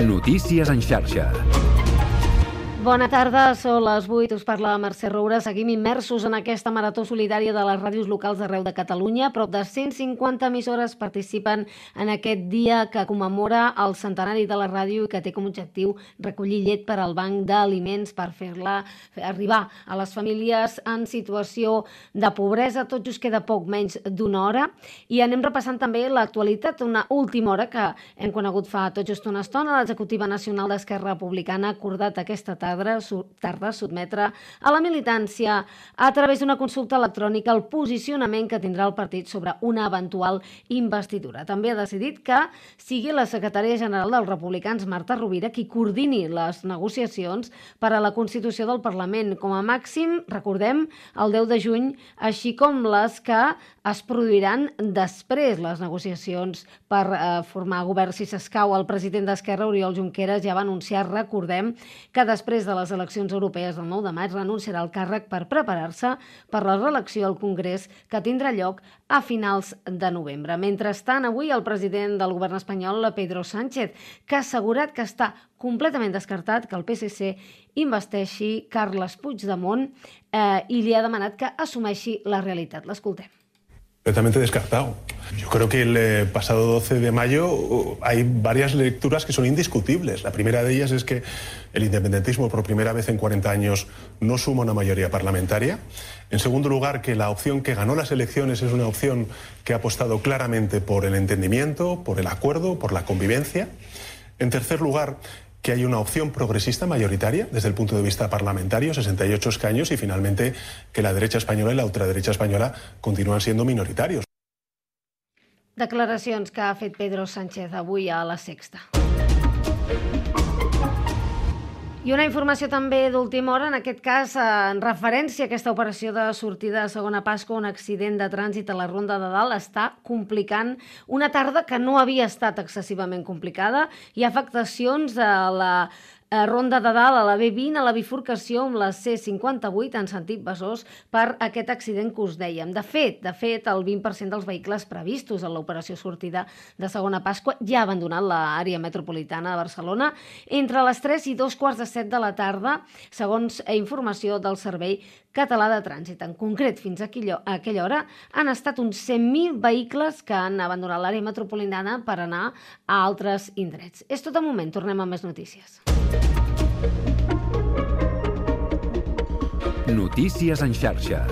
Notícies en xarxa. Bona tarda, són les 8, us parla Mercè Roura. Seguim immersos en aquesta marató solidària de les ràdios locals d'arreu de Catalunya. Prop de 150 emissores participen en aquest dia que commemora el centenari de la ràdio i que té com a objectiu recollir llet per al banc d'aliments per fer-la arribar a les famílies en situació de pobresa. Tot just queda poc menys d'una hora i anem repassant també l'actualitat. Una última hora que hem conegut fa tot just una estona. L'Executiva Nacional d'Esquerra Republicana ha acordat aquesta tarda sotmetre a la militància a través d'una consulta electrònica el posicionament que tindrà el partit sobre una eventual investidura. També ha decidit que sigui la secretària general dels republicans, Marta Rovira, qui coordini les negociacions per a la Constitució del Parlament. Com a màxim, recordem, el 10 de juny, així com les que es produiran després les negociacions per formar govern si s'escau. El president d'Esquerra, Oriol Junqueras, ja va anunciar, recordem, que després de les eleccions europees del 9 de maig renunciarà al càrrec per preparar-se per la reelecció al Congrés que tindrà lloc a finals de novembre. Mentrestant, avui el president del govern espanyol, Pedro Sánchez, que ha assegurat que està completament descartat que el PSC investeixi Carles Puigdemont i li ha demanat que assumeixi la realitat. L'escoltem. Completamente descartado. Yo creo que el pasado 12 de mayo hay varias lecturas que son indiscutibles. La primera de ellas es que el independentismo por primera vez en 40 años no suma una mayoría parlamentaria. En segundo lugar, que la opción que ganó las elecciones es una opción que ha apostado claramente por el entendimiento, por el acuerdo, por la convivencia. En tercer lugar, que hay una opción progresista mayoritaria desde el punto de vista parlamentario, 68 escaños, y finalmente que la derecha española y la ultraderecha española continúan siendo minoritarios. Declaracions que ha fet Pedro Sánchez avui a La Sexta. I una informació també d'última hora, en aquest cas en referència a aquesta operació de sortida de segona Pasqua, un accident de trànsit a la Ronda de Dalt està complicant una tarda que no havia estat excessivament complicada. Hi ha afectacions a la Ronda de Dalt, a la B20, a la bifurcació amb la C58 en sentit Besòs per aquest accident que us dèiem. De fet, el 20% dels vehicles previstos en l'operació sortida de segona Pasqua ja ha abandonat l'àrea metropolitana de Barcelona entre les 3 i 2:15 de la tarda, segons informació del Servei Català de Trànsit. En concret, fins a aquella hora han estat uns 100.000 vehicles que han abandonat l'àrea metropolitana per anar a altres indrets. És tot de moment, tornem amb més notícies. Notícies en xarxa.